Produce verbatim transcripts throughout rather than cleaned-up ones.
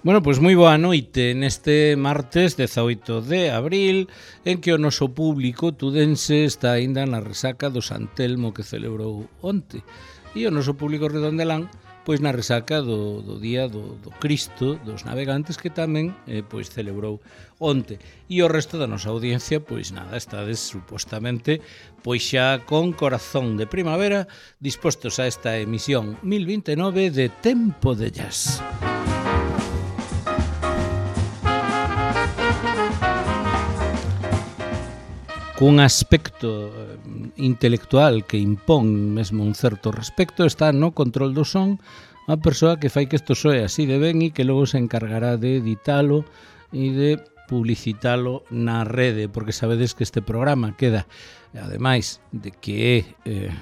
Bueno, pois moi boa noite neste martes dezaoito de abril, en que o noso público tudense está aínda na resaca do San Telmo que celebrou onte, e o noso público redondelán pois na resaca do, do día do, do Cristo dos navegantes que tamén eh, pois celebrou onte. E o resto da nosa audiencia pois nada, estades supostamente pois xa con corazón de primavera dispostos a esta emisión mil vinte e nove de Tempo de Jazz. Cun aspecto intelectual que impón mesmo un certo respecto está no control do son a persoa que fai que isto soe así de ben e que logo se encargará de editalo e de publicitalo na rede, porque sabedes que este programa queda, ademais de que é eh,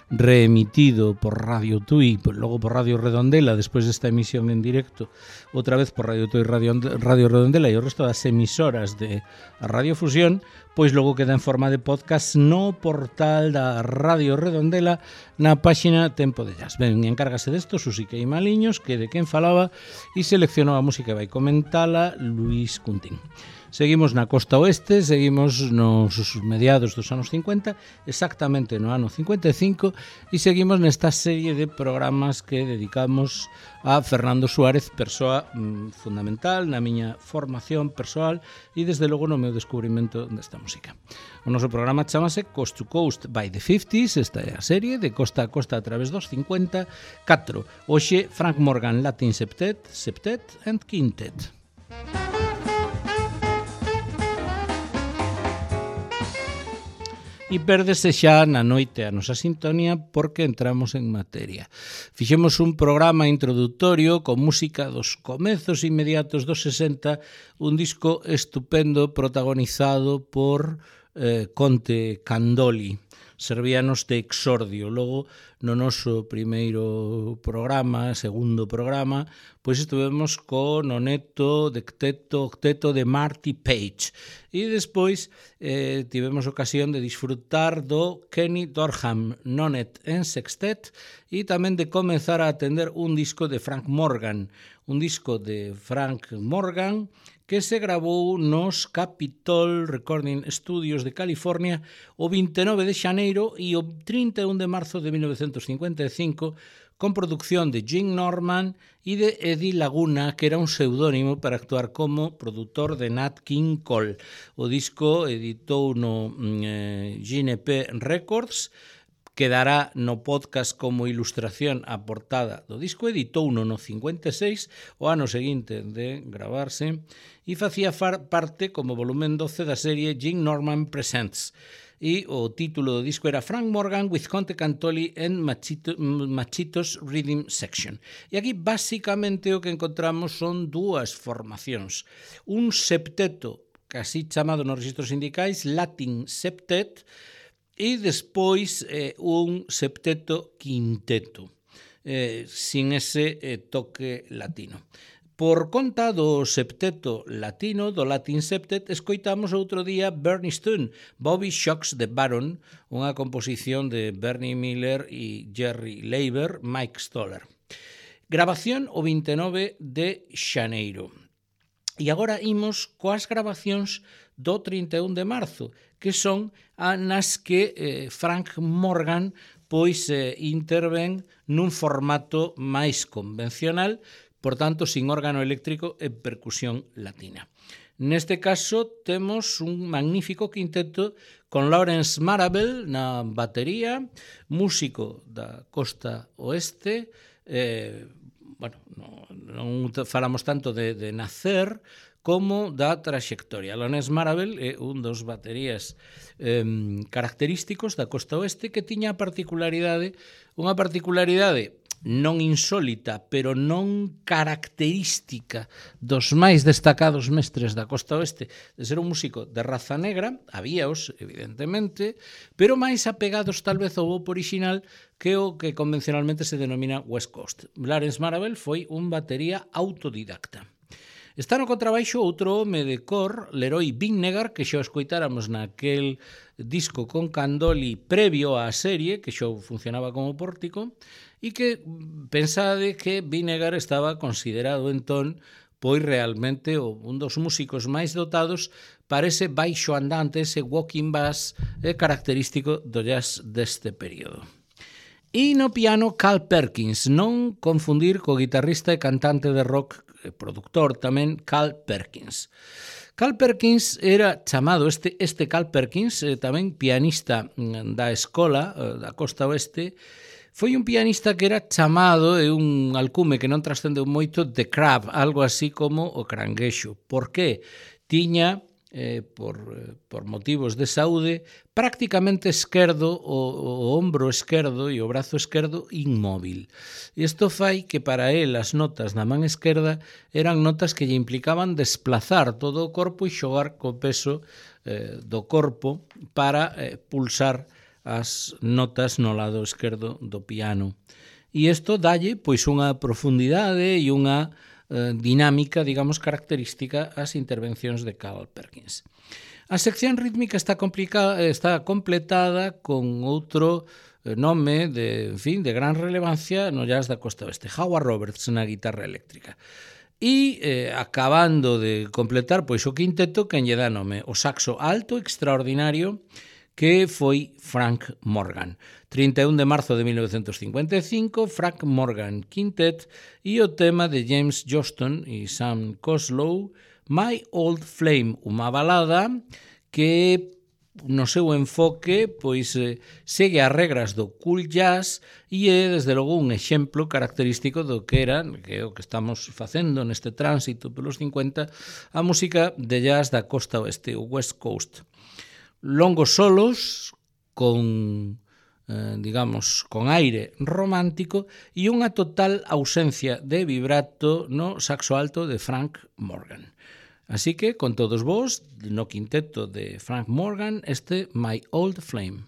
reemitido por Radio Tui, logo por Radio Redondela, despois desta emisión en directo, outra vez por Radio Tui, Radio, Radio Redondela e o resto das emisoras de a Radio Fusión, pois logo queda en forma de podcast no portal da Radio Redondela na páxina Tempo de Jazz. Ben, encárgase desto Susiquei Maliños, que de quen falaba, e seleccionou a música e vai comentala Luis Cuntín. Seguimos na costa oeste, seguimos nos mediados dos anos cincuenta, exactamente no ano cincuenta e cinco, e seguimos nesta serie de programas que dedicamos a Fernando Suárez, persoa mm, fundamental na miña formación persoal e desde logo no meu descubrimento desta música. O noso programa chamase Coast to Coast by the fifties, esta é a serie de costa a costa a través dos cincuenta, catro. Hoxe Frank Morgan Latin Septet, Septet and Quintet. E pérdese xa na noite a nosa sintonía porque entramos en materia. Fixemos un programa introductorio con música dos comezos inmediatos dos sesenta, un disco estupendo protagonizado por eh, Conte Candoli. Servíanos de exordio. Logo, no noso primeiro programa, segundo programa, pois estuvemos con o neto de octeto, octeto de Marty Page. E despois eh, tivemos ocasión de disfrutar do Kenny Dorham Nonet en sextet e tamén de comenzar a atender un disco de Frank Morgan, un disco de Frank Morgan que se gravou nos Capitol Recording Studios de California o vinte e nove de xaneiro e o trinta e un de marzo de mil novecentos cincuenta e cinco con producción de Jim Norman e de Eddie Laguna, que era un pseudónimo para actuar como produtor de Nat King Cole. O disco editou no eh, G N P Records, quedará no podcast como ilustración a portada do disco, editou no no cincuenta e seis, o ano seguinte de gravarse, e facía parte como volumen doce da serie Jim Norman Presents. E o título do disco era Frank Morgan with Conte Cantoli and Machito, Machitos Rhythm Section. E aquí, basicamente, o que encontramos son dúas formacións. Un septeto, casi chamado nos registros sindicais Latin Septet, e despois eh, un septeto quinteto, eh, sin ese eh, toque latino. Por conta do septeto latino, do Latin Septet, escoitamos outro día Bernie Stone, Bobby Shocks the Baron, unha composición de Bernie Miller e Jerry Leiber, Mike Stoller. Grabación o vinte e nove de xaneiro. E agora imos coas grabacións do trinta e un de marzo, que son nas que eh, Frank Morgan pois eh, interven nun formato máis convencional, por tanto, sin órgano eléctrico e percusión latina. Neste caso, temos un magnífico quinteto con Lawrence Marable na batería, músico da costa oeste, eh, bueno, non, non falamos tanto de, de nacer como da traxectoria. Lawrence Marable é un dos baterías eh, característicos da costa oeste que tiña a particularidade, unha particularidade non insólita, pero non característica dos máis destacados mestres da costa oeste, de ser un músico de raza negra, habíaos, evidentemente, pero máis apegados tal vez ao bop orixinal que o que convencionalmente se denomina West Coast. Lawrence Marable foi un batería autodidacta. Está no contrabaixo outro home de cor, Leroy Vinnegar, que xa o escoitáramos naquel disco con Candoli previo á serie, que xa funcionaba como pórtico, e que pensade que Vinnegar estaba considerado entón pois realmente un dos músicos máis dotados para ese baixo andante, ese walking bass característico do jazz deste período. E no piano Carl Perkins, non confundir co guitarrista e cantante de rock, e produtor tamén, Carl Perkins. Carl Perkins era chamado, este, este Carl Perkins, eh, tamén pianista da escola eh, da Costa Oeste, foi un pianista que era chamado, e un alcume que non trascendeu moito, The Crab, algo así como o cranguexo. Por que? Tiña, eh, por, por motivos de saúde, prácticamente esquerdo, o, o ombro esquerdo e o brazo esquerdo inmóvil. Isto fai que para él as notas na man esquerda eran notas que lle implicaban desplazar todo o corpo e xogar co peso eh, do corpo para eh, pulsar as notas no lado esquerdo do piano. E isto dalle pois unha profundidade e unha eh, dinámica, digamos, característica ás intervencións de Carl Perkins. A sección rítmica está, está completada con outro nome de, en fin, de gran relevancia no jazz da Costa Oeste, Howard Roberts na guitarra eléctrica. E eh, acabando de completar pois o quinteto, quen lle dá nome o saxo alto extraordinario, que foi Frank Morgan. trinta e un de marzo de mil novecentos cincuenta e cinco, Frank Morgan Quintet, e o tema de James Johnston e Sam Coslow, My Old Flame, unha balada que no seu enfoque pois eh, segue as regras do cool jazz e é desde logo un exemplo característico do que era, que é o que estamos facendo neste tránsito pelos cincuenta, a música de jazz da Costa Oeste, o West Coast. Longos solos con, eh, digamos, con aire romántico e unha total ausencia de vibrato no saxo alto de Frank Morgan. Así que, con todos vos, no quinteto de Frank Morgan, este My Old Flame.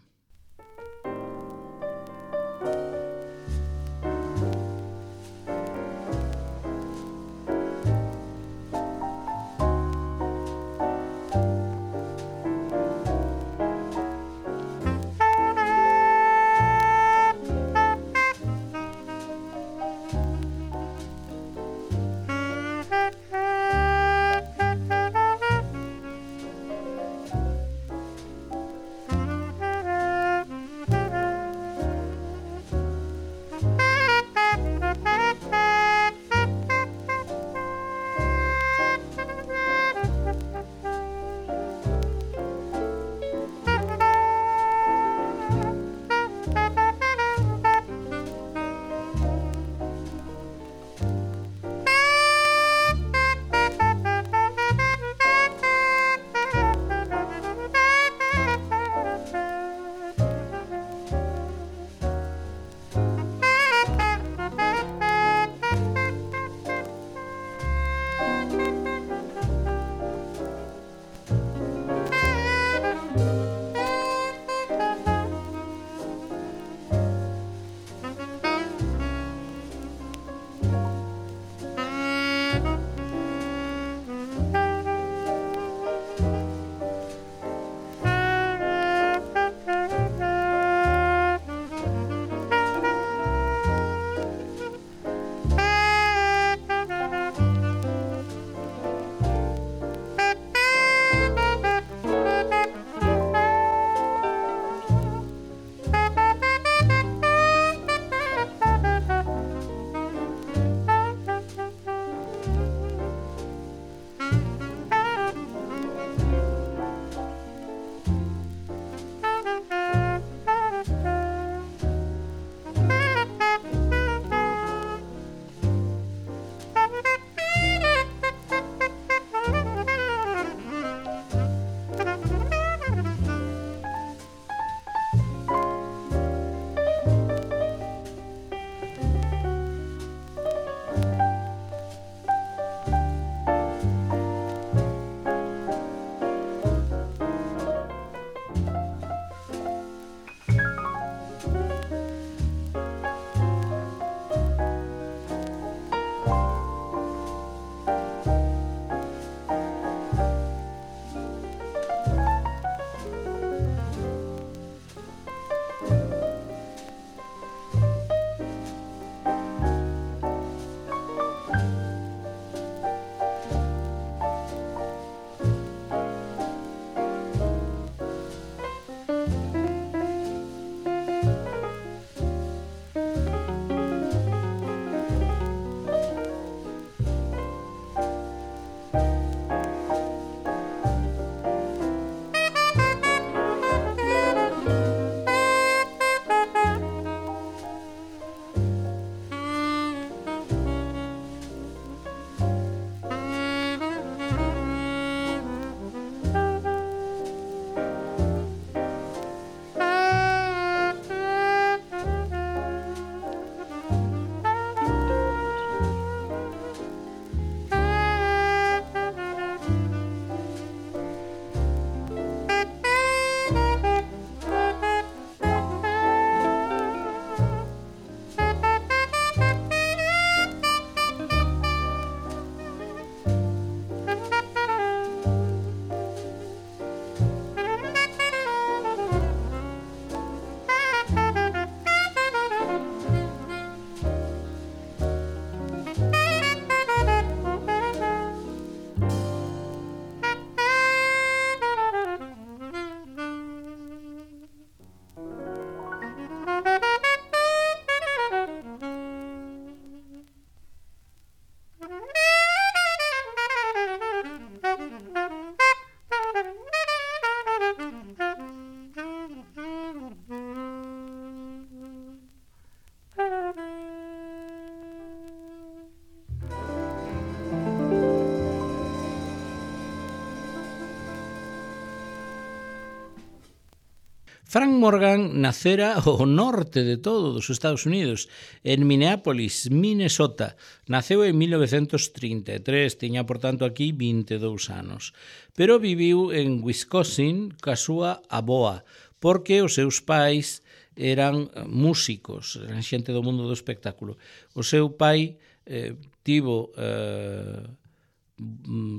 Frank Morgan nacera ao norte de todo dos Estados Unidos, en Minneapolis, Minnesota. Naceu en mil novecentos trinta e tres, tiña, por tanto, aquí vinte e dous anos. Pero viviu en Wisconsin ca súa avoa, porque os seus pais eran músicos, eran xente do mundo do espectáculo. O seu pai eh, tivo... Eh,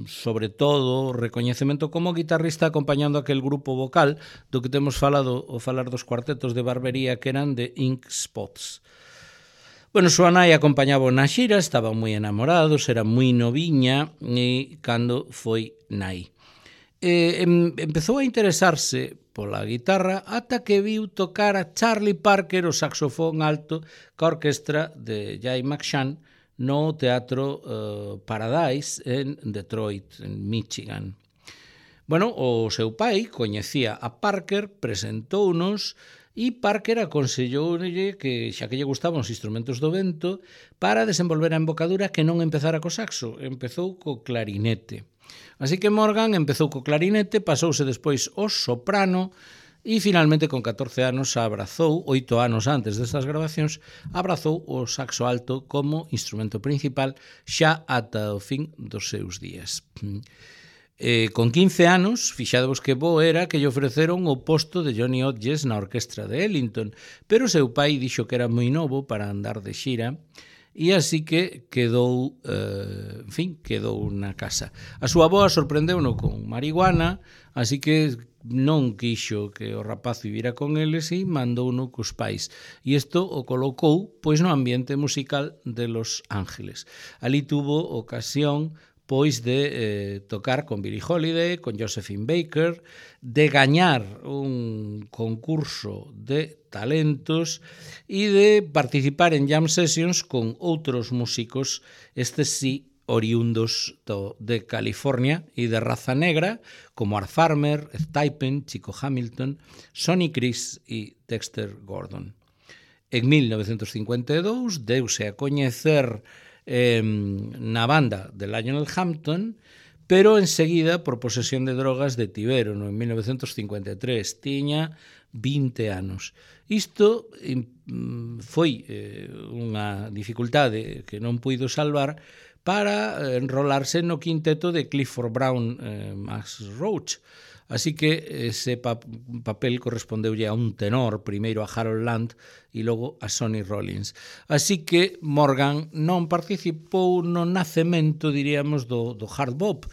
sobre todo recoñecemento como guitarrista acompañando aquel grupo vocal do que temos falado ao falar dos cuartetos de barbería que eran de Ink Spots. Bueno, súa nai acompañaba na xira, estaban moi enamorados, era moi noviña e cando foi nai. E, em, empezou a interesarse pola guitarra ata que viu tocar a Charlie Parker o saxofón alto ca orquestra de Jay McShann no Teatro uh, Paradise en Detroit, en Michigan. Bueno, o seu pai coñecía a Parker, presentounos e Parker aconselloulle que, xa que lle gustaban os instrumentos do vento, para desenvolver a embocadura que non empezara co saxo, empezou co clarinete. Así que Morgan empezou co clarinete, pasouse despois ao soprano, e finalmente con catorce anos abrazou, oito anos antes destas grabacións, abrazou o saxo alto como instrumento principal xa ata o fin dos seus días. Eh, con quince anos, fixadevos que bo era que lle ofreceron o posto de Johnny Hodges na orquestra de Ellington, pero o seu pai dixo que era moi novo para andar de xira, e así que quedou, eh, en fin, quedou na casa. A súa avoa sorprendeu-no con marihuana, así que non quixo que o rapaz vivira con eles e mandouno cos pais. E isto o colocou pois no ambiente musical de Los Ángeles. Ali tuvo ocasión pois de eh, tocar con Billie Holiday, con Josephine Baker, de gañar un concurso de talentos e de participar en jam sessions con outros músicos, estes sí, oriundos do, de California e de raza negra, como Art Farmer, Ed Typen, Chico Hamilton, Sonny Criss e Dexter Gordon. En mil novecentos cincuenta e dous deuse a coñecer eh, na banda de Lionel Hampton, pero enseguida por posesión de drogas de Tibero, no, en mil novecentos cincuenta e tres, tiña vinte anos. Isto eh, foi eh, unha dificultade que non puido salvar para enrolarse no quinteto de Clifford Brown eh, Max Roach. Así que ese pa papel correspondeulle a un tenor, primeiro a Harold Land e logo a Sonny Rollins. Así que Morgan non participou no nacemento, diríamos, do, do hard bop,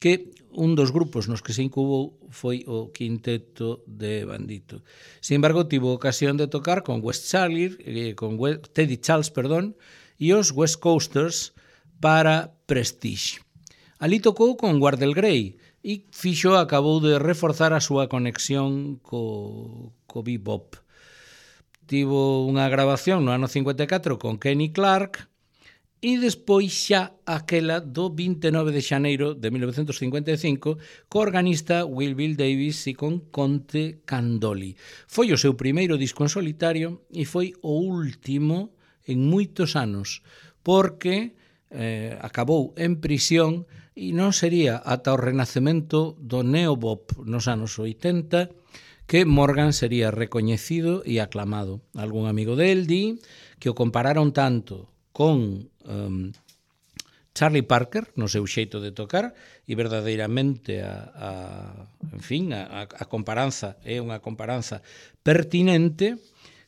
que un dos grupos nos que se incubou foi o quinteto de Bandito. Sin embargo, tivo ocasión de tocar con West Charlie, eh, con West, Teddy Charles, perdón, e os West Coasters para Prestige. Ali tocou con Wardell Gray e fixo acabou de reforzar a súa conexión co, co bebop. Tivo unha grabación no ano cincuenta e catro con Kenny Clark e despois xa aquela do vinte e nove de xaneiro de mil novecentos cincuenta e cinco co organista Will Bill Davis e con Conte Candoli. Foi o seu primeiro disco en solitario e foi o último en moitos anos, porque eh, acabou en prisión e non sería ata o renacemento do neobop nos anos oitenta que Morgan sería recoñecido e aclamado. Algún amigo del di que o compararon tanto con um, Charlie Parker no seu xeito de tocar e verdadeiramente a, a, en fin, a, a comparanza é unha comparanza pertinente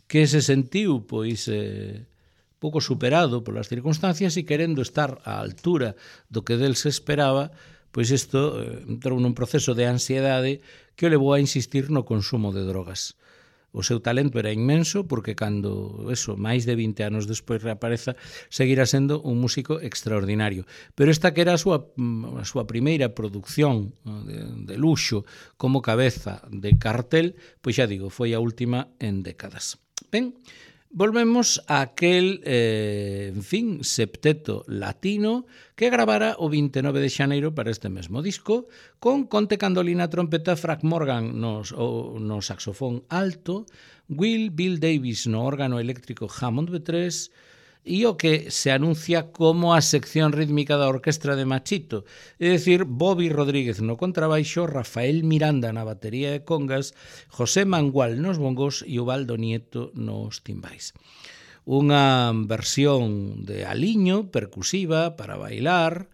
que se sentiu pois eh, pouco superado polas circunstancias e querendo estar á altura do que del se esperaba, pois isto eh, entrou nun proceso de ansiedade que o levou a insistir no consumo de drogas. O seu talento era inmenso porque cando, eso, máis de vinte anos despois reapareza, seguirá sendo un músico extraordinario. Pero esta que era a súa, a súa primeira producción de, de luxo como cabeza de cartel, pois xa digo, foi a última en décadas. Ben, volvemos a aquel, eh, en fin, septeto latino que gravara o vinte e nove de xaneiro para este mesmo disco, con Conte Candoli na trompeta, Frank Morgan no, no saxofón alto, Will Bill Davis no órgano eléctrico Hammond B tres, e o que se anuncia como a sección rítmica da orquestra de Machito, é dicir, Bobby Rodríguez no contrabaixo, Rafael Miranda na batería e congas, José Mangual nos bongos e Ubaldo Nieto nos timbais. Unha versión de aliño percusiva para bailar,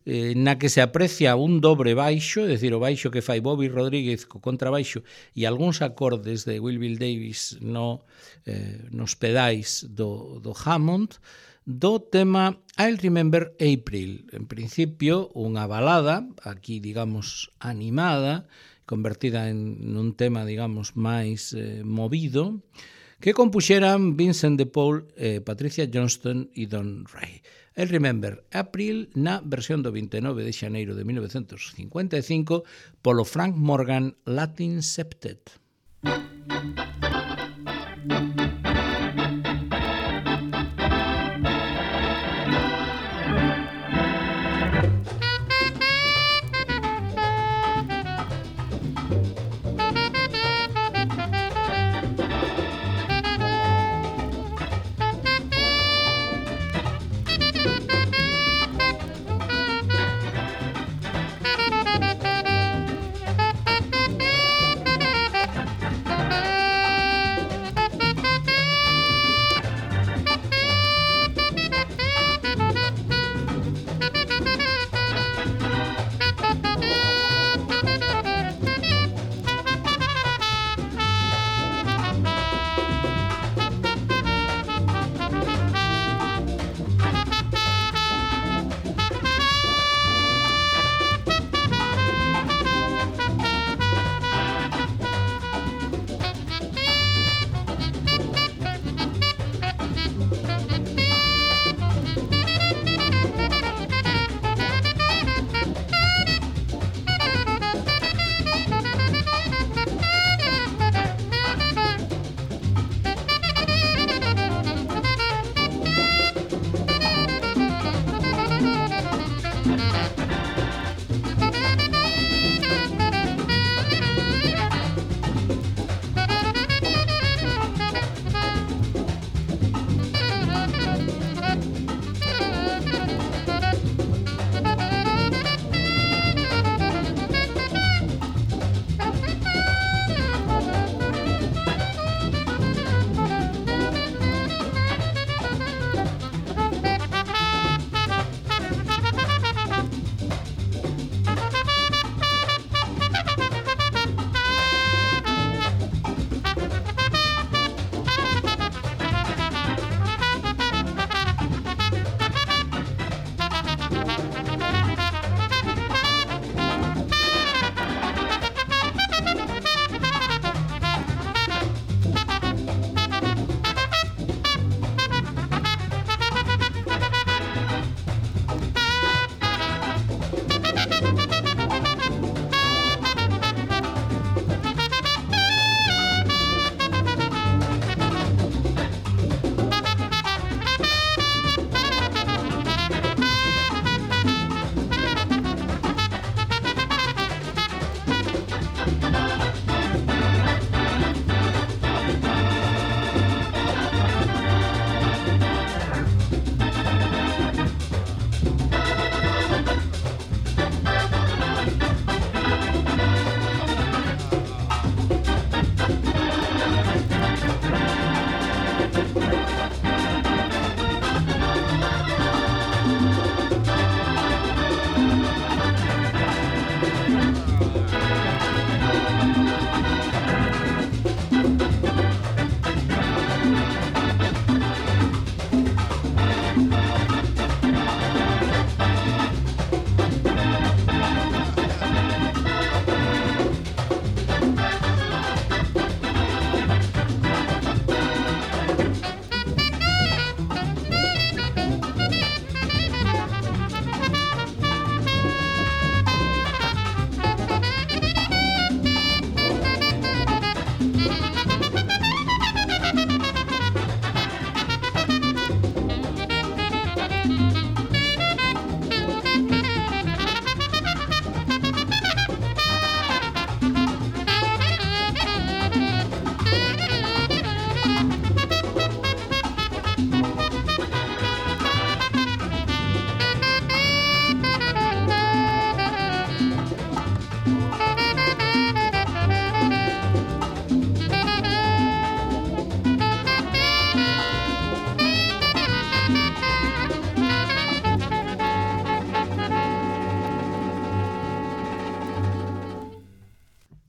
eh, na que se aprecia un dobre baixo, é dicir, o baixo que fai Bobby Rodríguez co contrabaixo e algúns acordes de Will Bill Davis no, eh, nos pedais do, do Hammond, do tema I'll Remember April. En principio, unha balada, aquí, digamos, animada, convertida en un tema, digamos, máis eh, movido, que compuxeran Vincent de Paul, eh, Patricia Johnston e Don Ray. I'll Remember April na versión do vinte e nove de xaneiro de mil novecentos cincuenta e cinco polo Frank Morgan Latin Septet.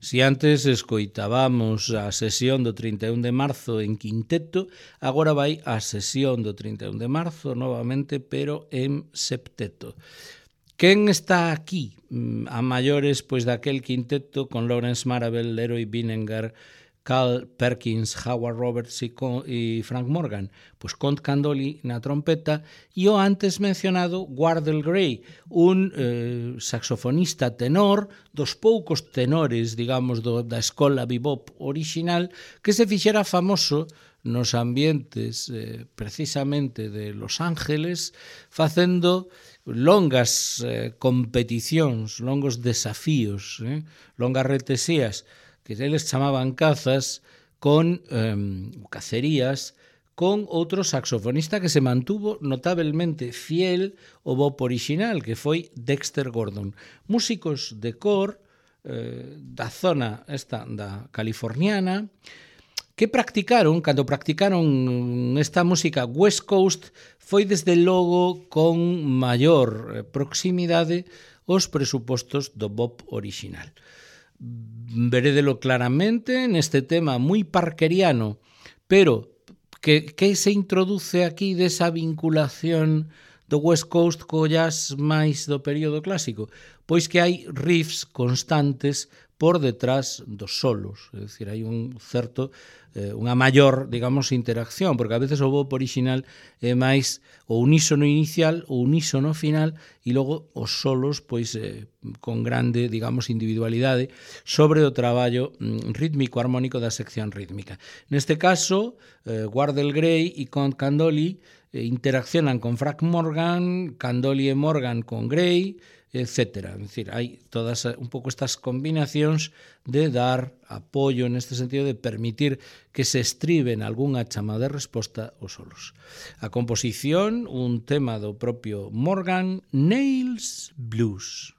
Si antes escoitábamos a sesión do trinta e un de marzo en quinteto, agora vai a sesión do trinta e un de marzo novamente, pero en septeto. Quen está aquí a maiores pois daquel quinteto con Lawrence Marable, Leroy Vinnegar, Carl Perkins, Howard Roberts e, e Frank Morgan? Pois Count Candoli na trompeta e o antes mencionado Wardell Gray, un eh, saxofonista tenor, dos poucos tenores, digamos, do, da escola bebop original, que se fixera famoso nos ambientes eh, precisamente de Los Ángeles, facendo longas eh, competicións, longos desafíos, eh, longas retesías, que eles chamaban cazas, con eh, cacerías, con outro saxofonista que se mantuvo notablemente fiel ao bop original, que foi Dexter Gordon. Músicos de cor eh, da zona esta da californiana, que practicaron, cando practicaron esta música West Coast, foi desde logo con maior proximidade aos presupostos do bop original. Verédelo claramente neste tema moi parkeriano, pero que, que se introduce aquí desa vinculación do West Coast co jazz máis do período clásico? Pois que hai riffs constantes por detrás dos solos, é dicir, hai un certo, eh, unha maior, digamos, interacción, porque a veces o bop original é máis o unísono inicial, o unísono final, e logo os solos, pois, eh, con grande, digamos, individualidade sobre o traballo mm, rítmico armónico da sección rítmica. Neste caso, eh, Wardell Gray e Count Candoli eh, interaccionan con Frank Morgan, Candoli e Morgan con Gray, etcétera. É dicir, hai todas un pouco estas combinacións de dar apoio neste sentido de permitir que se estriben algunha chamada de resposta aos solos. A composición, un tema do propio Morgan, Nails Blues.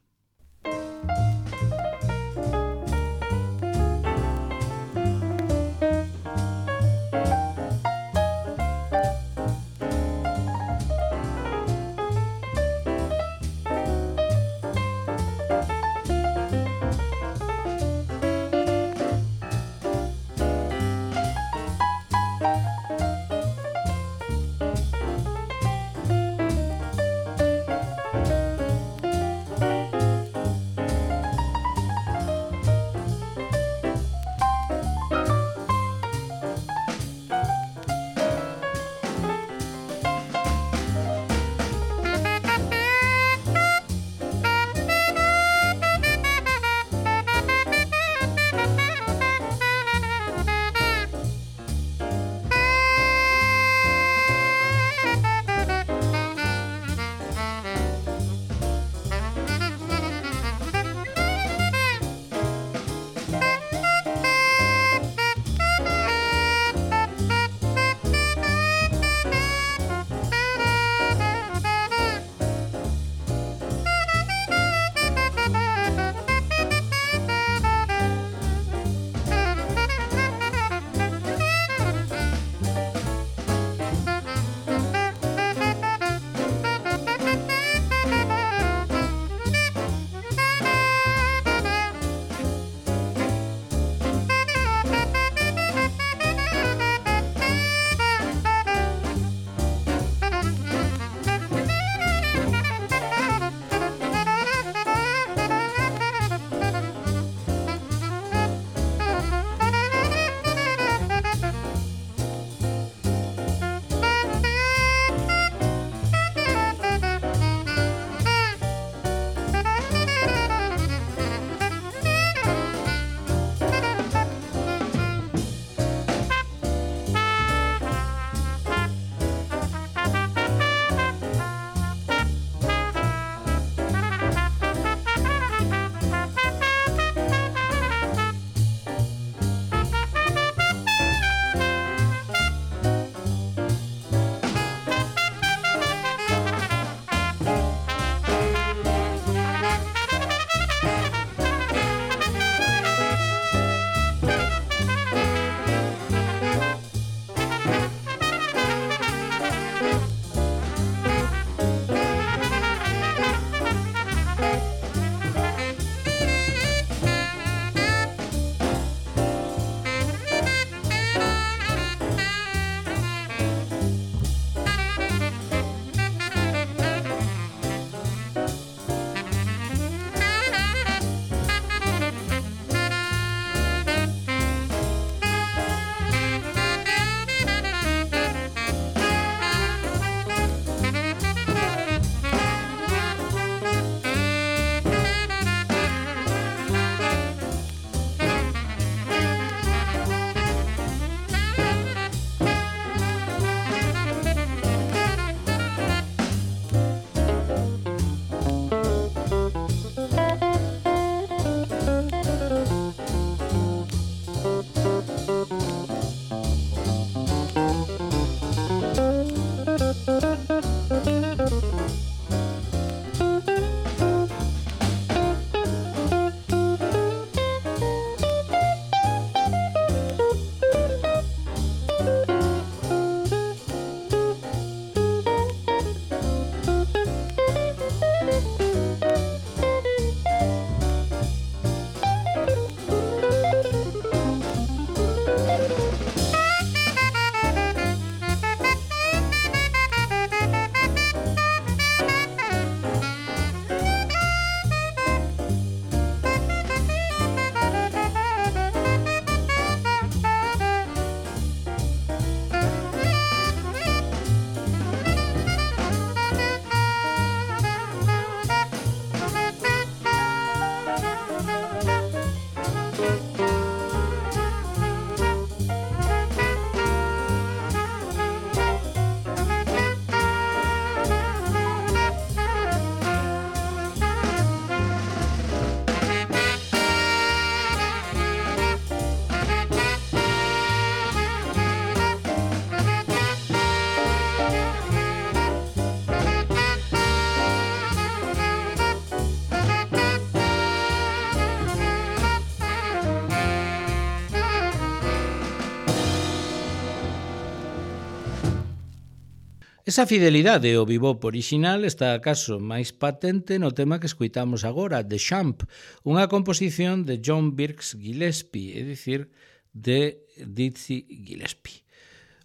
Esa fidelidade ao bebop orixinal está acaso máis patente no tema que escuitamos agora, The Champ, unha composición de John Birks Gillespie, é dicir, de Dizzy Gillespie.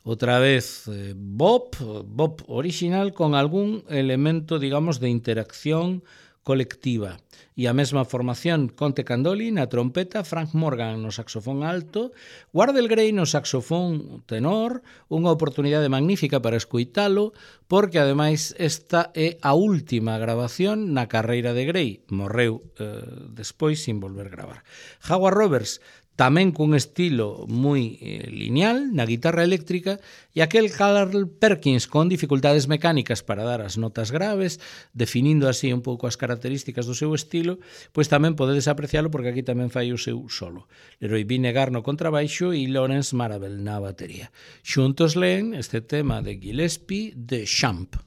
Outra vez, eh, bop, bop orixinal con algún elemento, digamos, de interacción colectiva. E a mesma formación, Conte Candoli na trompeta, Frank Morgan no saxofón alto, Wardell Gray no saxofón tenor, unha oportunidade magnífica para escuitalo, porque ademais esta é a última grabación na carreira de Gray. Morreu eh, despois sin volver gravar. Howard Roberts, tamén cun estilo moi eh, lineal na guitarra eléctrica, e aquel Carl Perkins con dificultades mecánicas para dar as notas graves, definindo así un pouco as características do seu estilo, pois tamén podedes aprecialo porque aquí tamén fai o seu solo. Leroy Vinegar no contrabaixo e Lawrence Marabel na batería. Xuntos leen este tema de Gillespie, The Champ.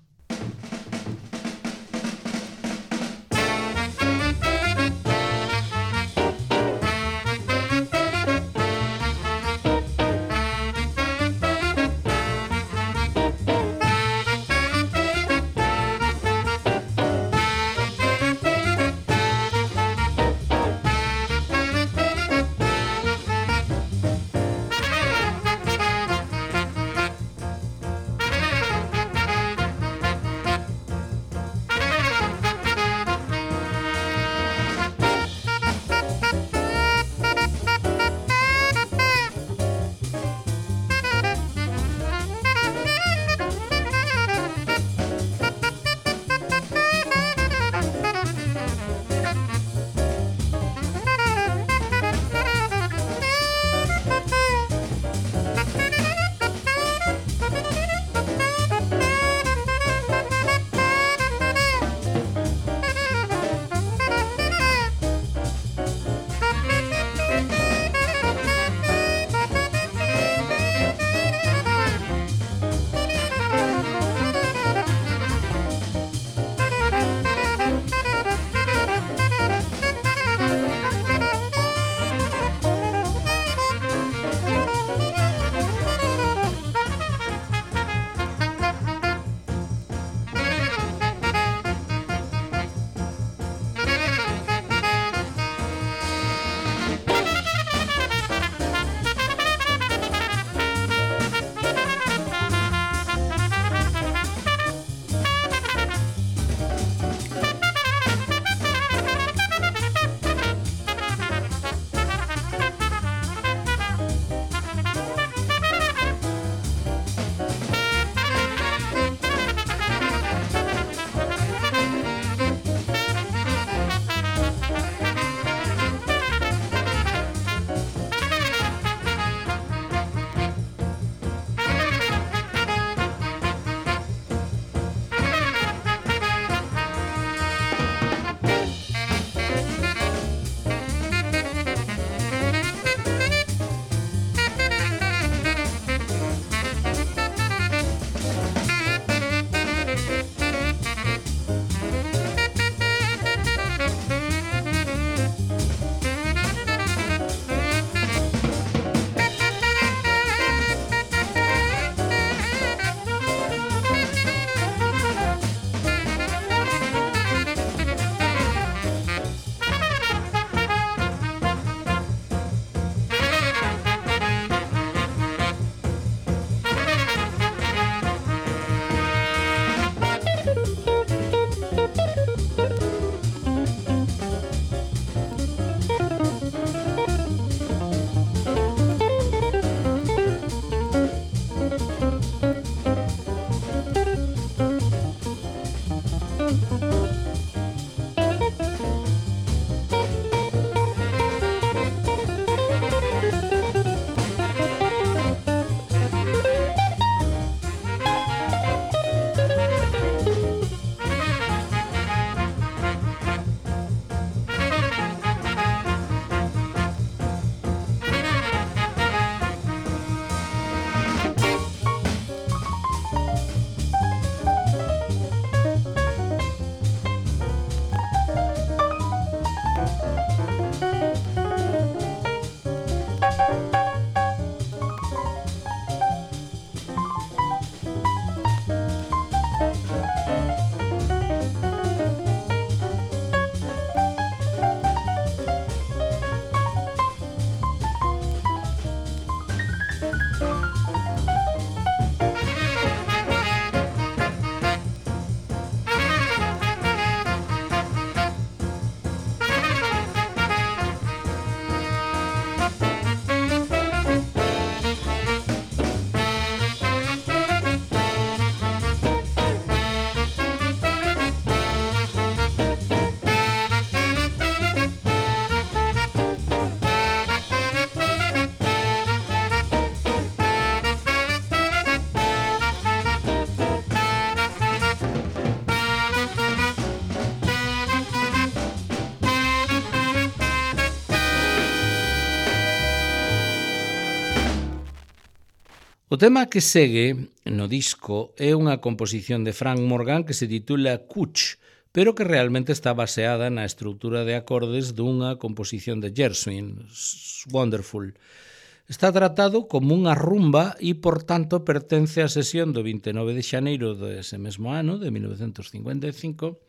O tema que segue no disco é unha composición de Frank Morgan que se titula Cooch, pero que realmente está baseada na estrutura de acordes dunha composición de Gershwin, Wonderful. Está tratado como unha rumba e, por tanto, pertence á sesión do vinte e nove de xaneiro dese mesmo ano, de mil novecentos cincuenta e cinco,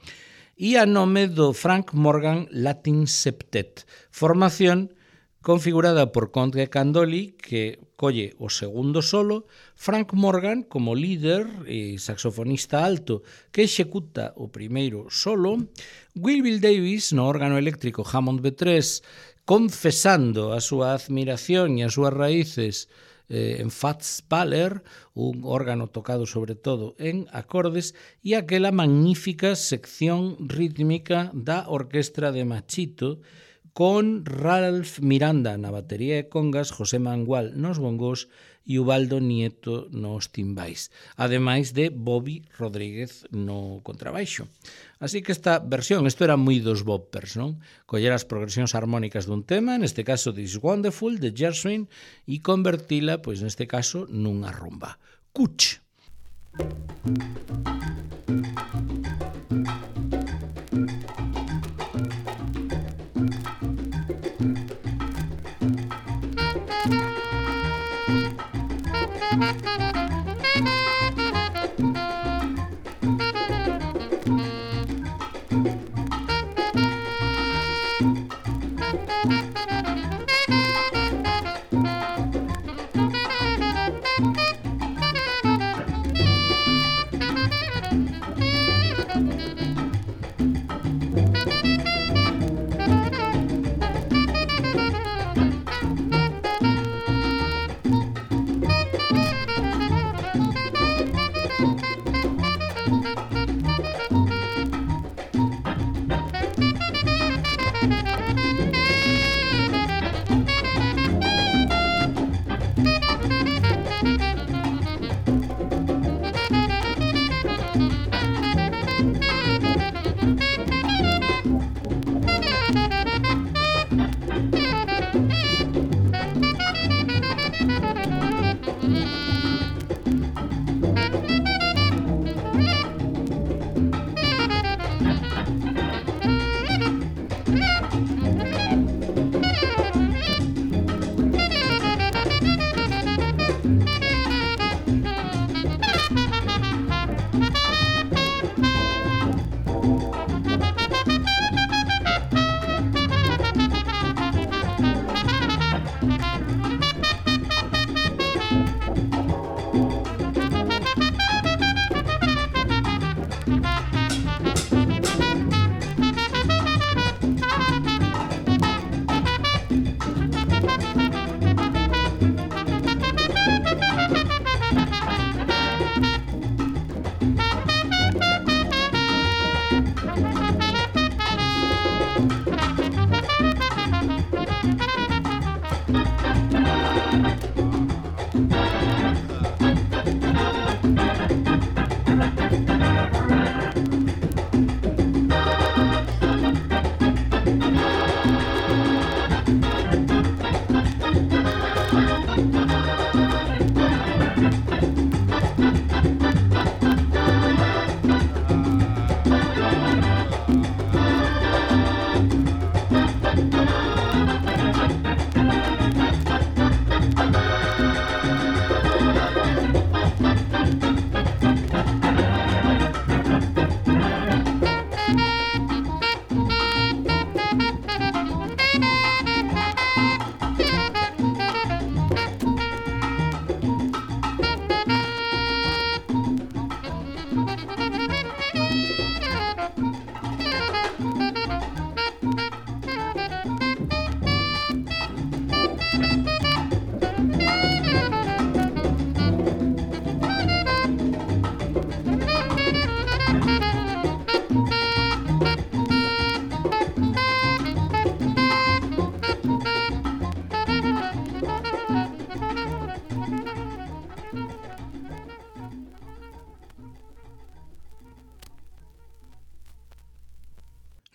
e a nome do Frank Morgan Latin Septet, formación configurada por Conte Candoli, que colle o segundo solo, Frank Morgan como líder e saxofonista alto que executa o primeiro solo, Will Bill Davis no órgano eléctrico Hammond B tres, confesando a súa admiración e as súas raíces eh, en Fats Waller, un órgano tocado sobre todo en acordes, e aquela magnífica sección rítmica da orquestra de Machito, con Ralph Miranda na batería e congas, José Mangual nos bongos e Ubaldo Nieto nos timbais, ademais de Bobby Rodríguez no contrabaixo. Así que esta versión, isto era moi dos boppers, non? Coller as progresións armónicas dun tema, neste caso This Wonderful, de Gershwin, e convertila, pois neste caso, nunha rumba. Cooch.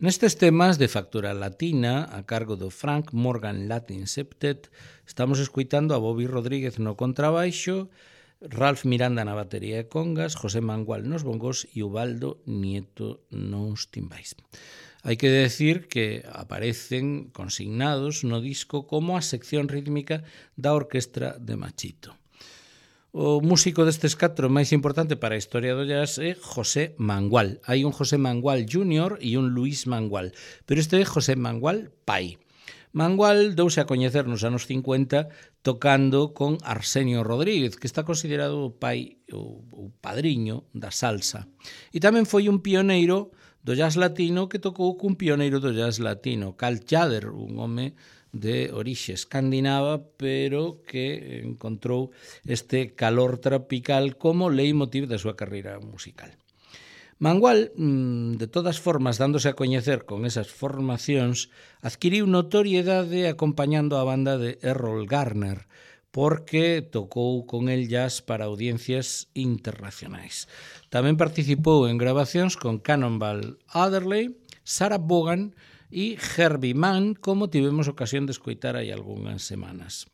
Nestes temas de factura latina, a cargo do Frank Morgan Latin Septet, estamos escoitando a Bobby Rodríguez no contrabaixo, Ralph Miranda na batería e congas, José Mangual nos bongos e Ubaldo Nieto nos timbais. Hai que decir que aparecen consignados no disco como a sección rítmica da orquestra de Machito. O músico destes catro máis importante para a historia do jazz é José Mangual. Hai un José Mangual júnior e un Luis Mangual, pero este é José Mangual pai. Mangual douse a coñecer nos anos cincuenta tocando con Arsenio Rodríguez, que está considerado o pai, o, o padriño da salsa. E tamén foi un pioneiro do jazz latino que tocou cun pioneiro do jazz latino, Cal Tjader, un home de orixe escandinava, pero que encontrou este calor tropical como leitmotiv da súa carreira musical. Mangual, de todas formas, dándose a coñecer con esas formacións, adquiriu notoriedade acompañando a banda de Errol Garner, porque tocou con el jazz para audiencias internacionais. Tamén participou en grabacións con Cannonball Adderley, Sarah Vaughan e Herbie Mann, como tivemos ocasión de escoitar hai algunhas semanas.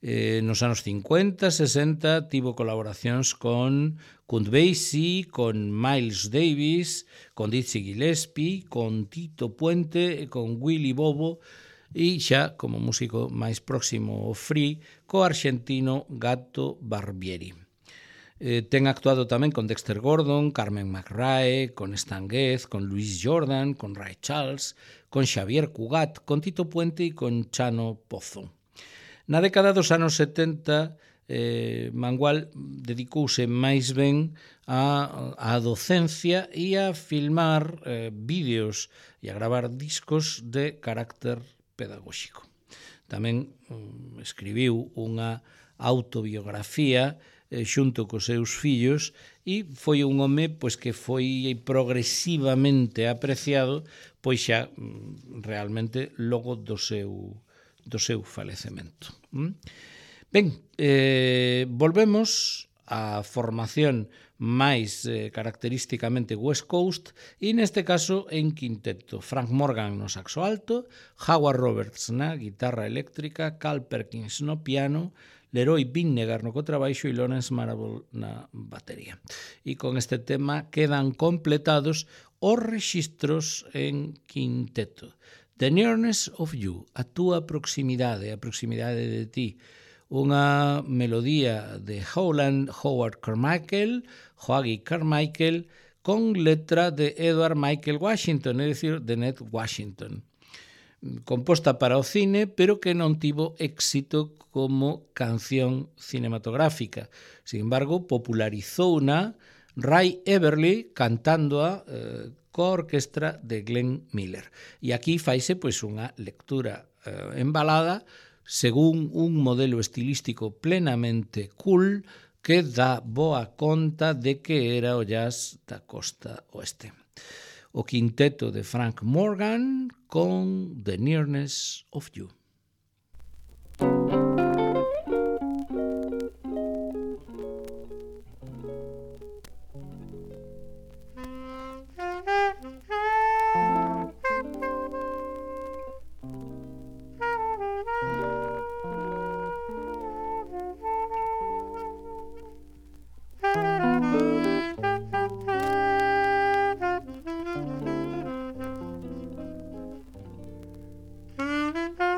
Eh, nos anos cincuenta, sesenta, tivo colaboracións con Count Basie, con Miles Davis, con Dizzy Gillespie, con Tito Puente e con Willy Bobo, e xa como músico máis próximo ao free co arxentino Gato Barbieri. Eh, ten actuado tamén con Dexter Gordon, Carmen McRae, con Stan Getz, con Louis Jordan, con Ray Charles, con Xavier Cugat, con Tito Puente e con Chano Pozo. Na década dos anos setenta, eh, Mangual dedicouse máis ben á, á docencia e a filmar eh, vídeos e a gravar discos de carácter pedagóxico. Tamén um, escribiu unha autobiografía eh, xunto cos seus fillos e foi un home pois, que foi progresivamente apreciado pois xa um, realmente logo do seu do seu falecemento. Ben, eh, volvemos á formación máis eh, característicamente West Coast e neste caso en quinteto. Frank Morgan no saxo alto, Howard Roberts na guitarra eléctrica, Carl Perkins no piano, Leroy Vinnegar no contrabaixo e Lawrence Marable na batería. E con este tema quedan completados os rexistros en quinteto. The Nearness of You, a túa proximidade, a proximidade de ti. Unha melodía de Howland Howard Carmichael, Hoagy Carmichael, con letra de Edward Michael Washington, é dicir, de Ned Washington. Composta para o cine, pero que non tivo éxito como canción cinematográfica. Sin embargo, popularizouna Ray Everly cantándoa eh, coa orquestra de Glenn Miller. E aquí faise pois unha lectura eh, embalada según un modelo estilístico plenamente cool que dá boa conta de que era o jazz da costa oeste. O quinteto de Frank Morgan con The Nearness of You.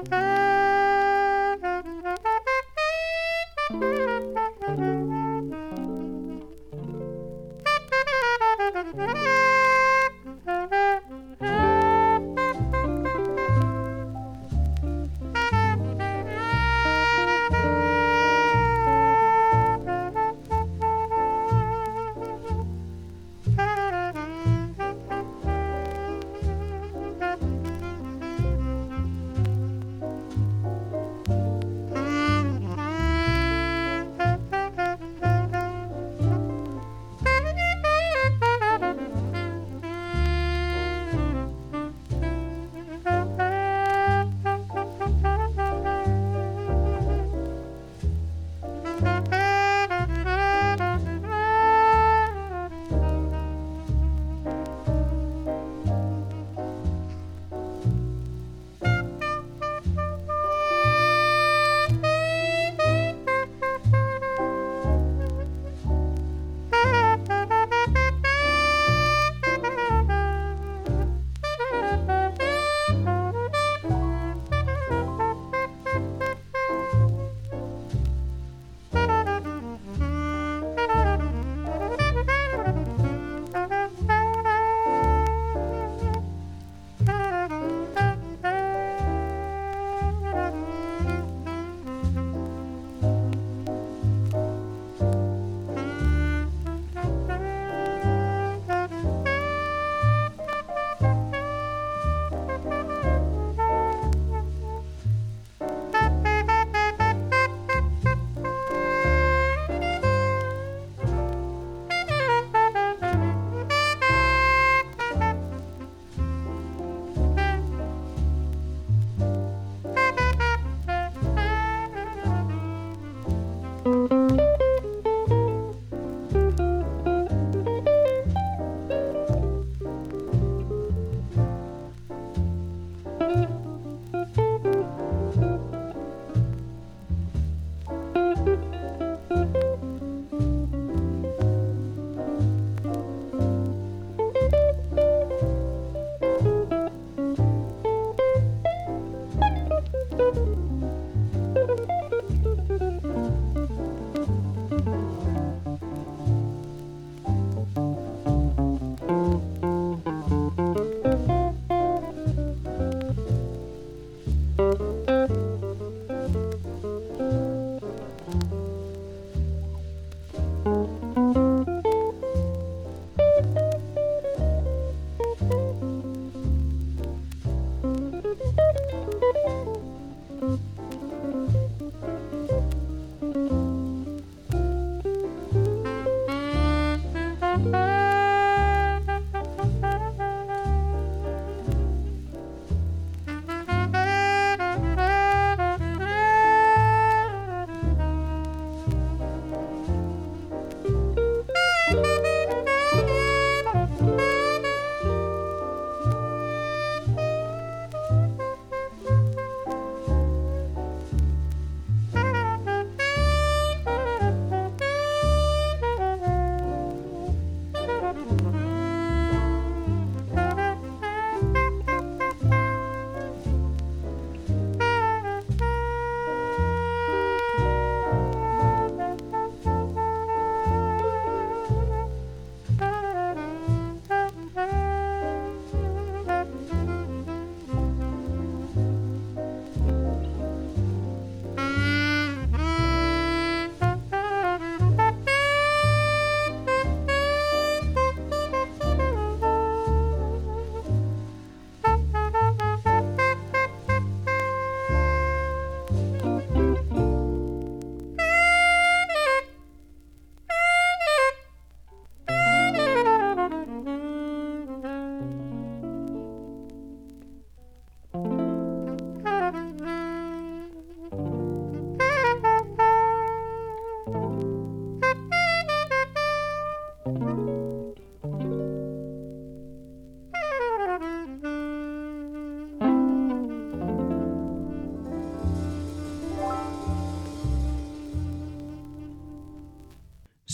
Thank you.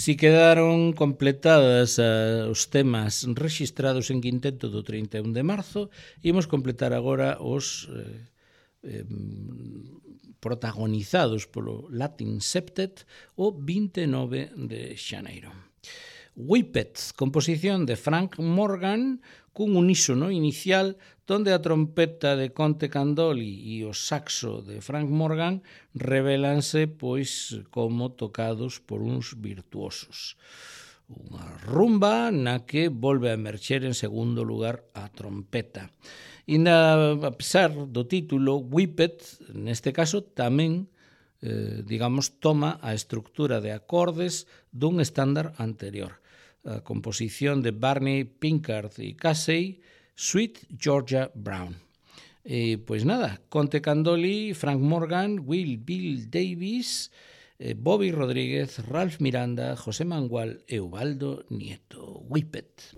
Si quedaron completadas uh, os temas registrados en quinteto do trinta e un de marzo, imos completar agora os eh, eh, protagonizados polo Latin Septet o vinte e nove de xaneiro. Whippet, composición de Frank Morgan, cun unísono inicial donde a trompeta de Conte Candoli e o saxo de Frank Morgan revélanse pois como tocados por uns virtuosos. Unha rumba na que volve a emerxer en segundo lugar a trompeta. E na, a pesar do título, Whippet, neste caso, tamén eh, digamos, toma a estructura de acordes dun estándar anterior. A composición de Barney Pinkard e Casey, Sweet Georgia Brown. E, pois nada, Conte Candoli, Frank Morgan, Will Bill Davis, eh, Bobby Rodríguez, Ralph Miranda, José Mangual e Ubaldo Nieto. Whippet.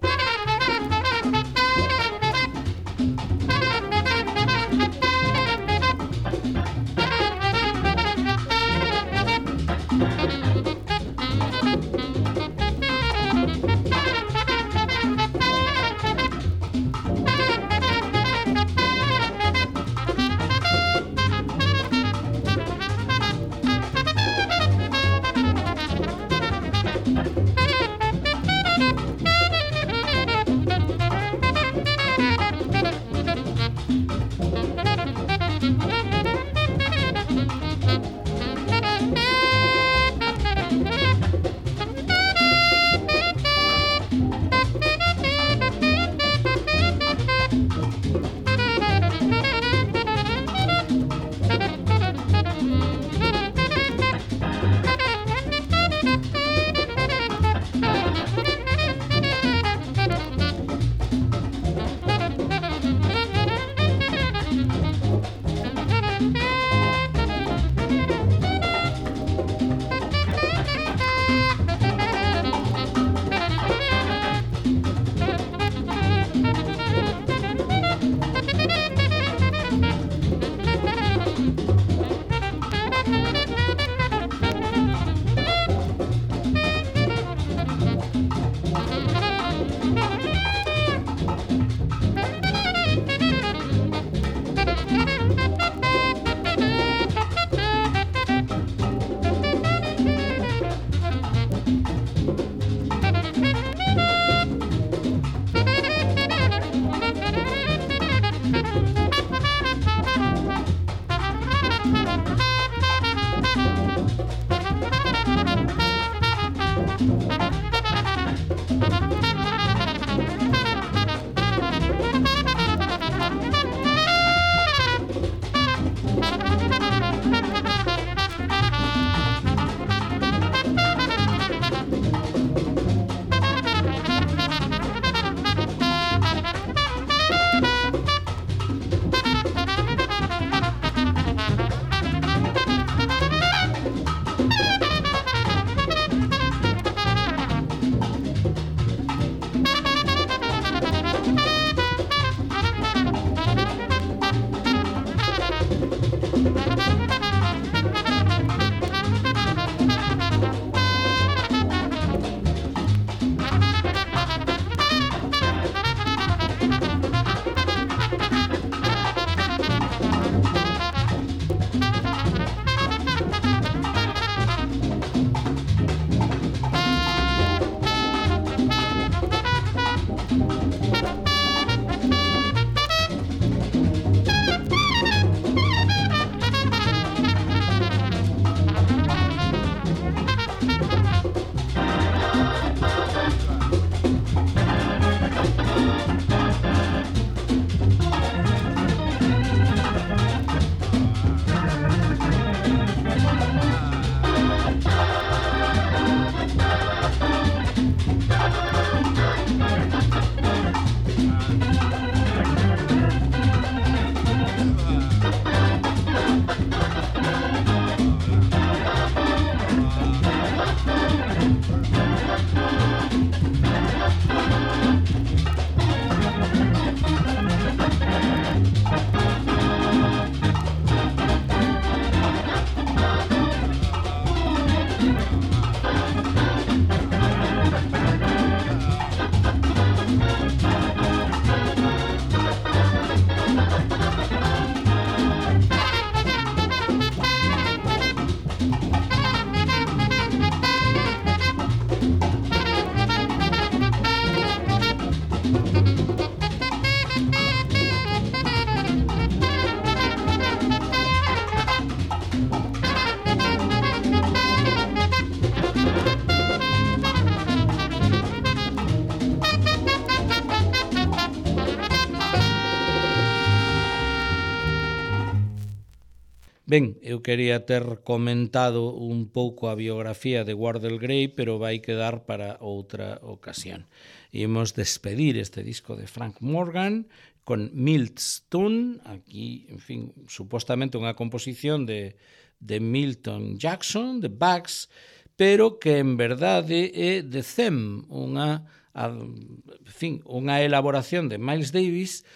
Ben, eu quería ter comentado un pouco a biografía de Wardell Gray, pero vai quedar para outra ocasión. Imos despedir este disco de Frank Morgan con Milton, aquí, en fin, supostamente unha composición de, de Milton Jackson, de Bugs, pero que en verdade é de Them, unha, a, en fin, unha elaboración de Miles Davis.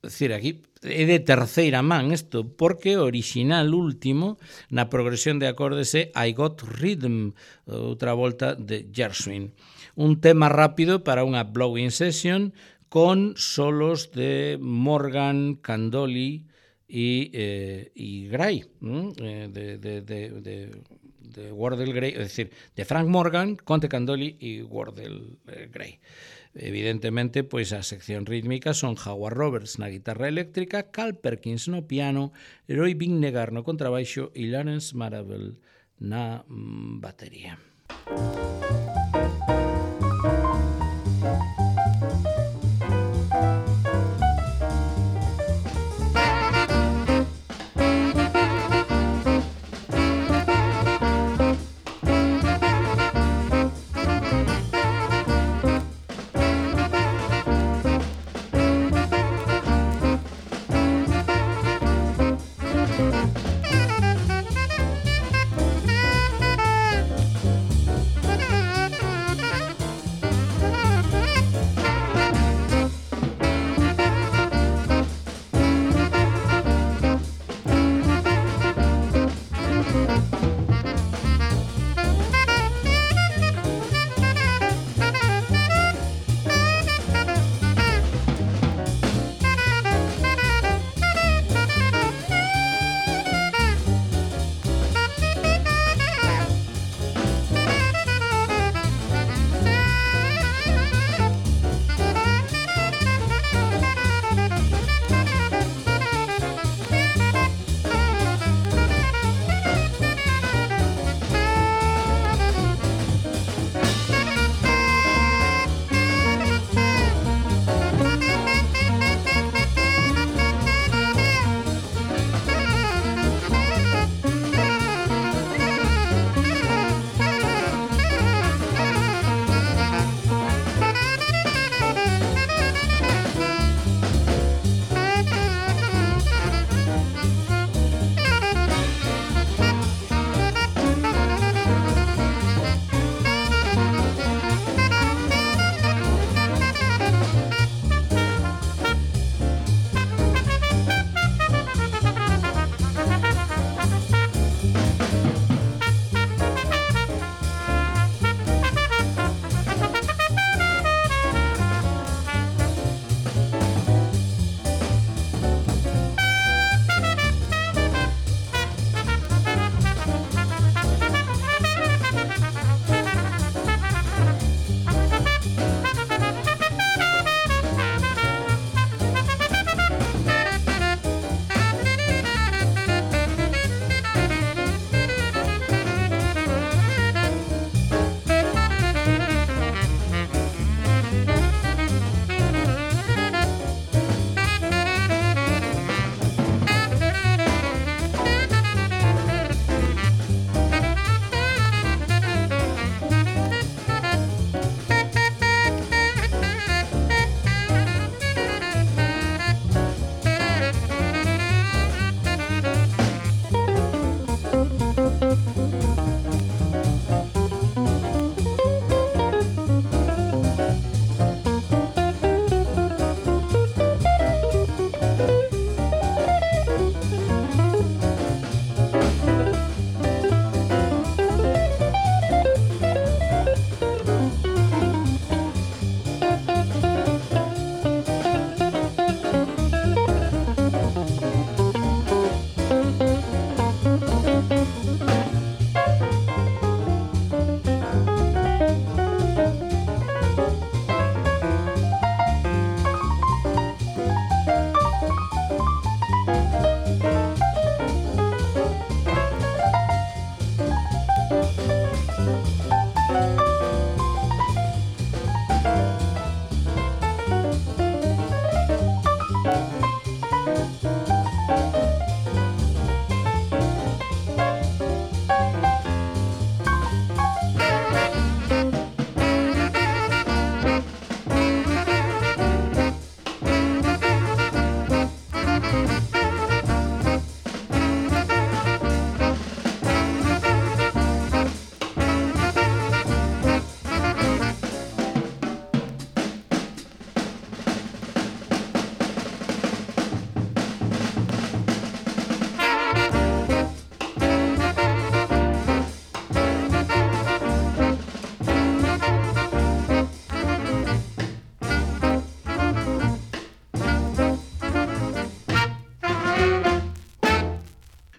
É dicir, aquí é de terceira man isto, porque o original último na progresión de acordes é I Got Rhythm, outra volta de Gershwin. Un tema rápido para unha blowing session con solos de Morgan, Candoli e, eh, e Gray, ¿eh? de, de, de, de, de Wardell Gray, é dicir, de Frank Morgan, Conte Candoli e Wardell Gray. Evidentemente, pois a sección rítmica son Howard Roberts na guitarra eléctrica, Carl Perkins no piano, Roy Vinnegar no contrabaixo e Lawrence Marable na mm, batería. Thank you.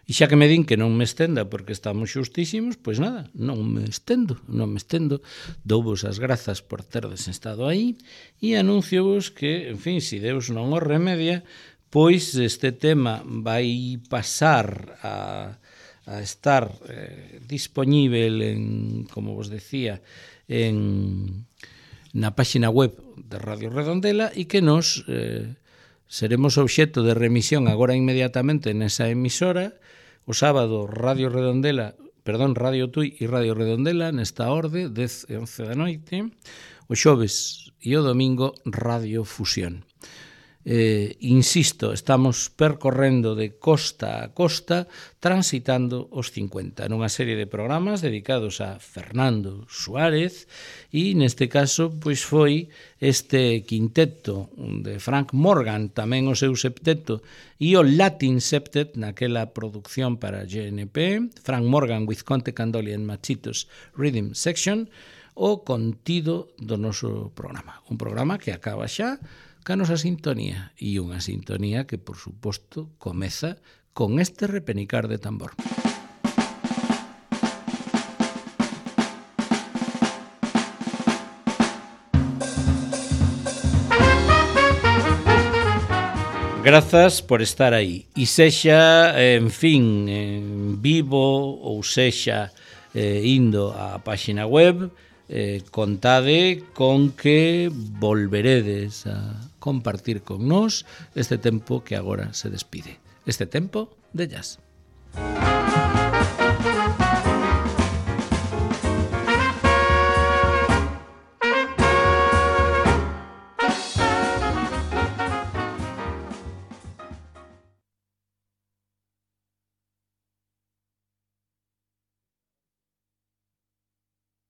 E xa que me din que non me estenda porque estamos xustísimos, pois nada, non me estendo, non me estendo. Douvos as grazas por terdes estado aí e anúnciovos que, en fin, se Deus non o remedia, pois este tema vai pasar a, a estar eh, dispoñível en, como vos decía, en na páxina web de Radio Redondela e que nos eh, seremos obxecto de remisión agora inmediatamente nesa emisora. O sábado Radio Redondela, perdón, Radio Tui e Radio Redondela nesta orde, dez e once da noite. O xoves e o domingo Radio Fusión. Eh, insisto, estamos percorrendo de costa a costa, transitando os cincuenta, nunha serie de programas dedicados a Fernando Suárez, e neste caso pois foi este quinteto de Frank Morgan, tamén o seu septeto, e o Latin Septet naquela producción para G N P, Frank Morgan with Conte Candoli and Machitos Rhythm Section, o contido do noso programa. Un programa que acaba xa ca nosa sintonía, e unha sintonía que, por suposto, comeza con este repenicar de tambor. Grazas por estar aí. E sexa, en fin, en vivo ou sexa eh, indo á páxina web, eh, contade con que volveredes a compartir con nós este tempo que agora se despide. Este tempo de jazz.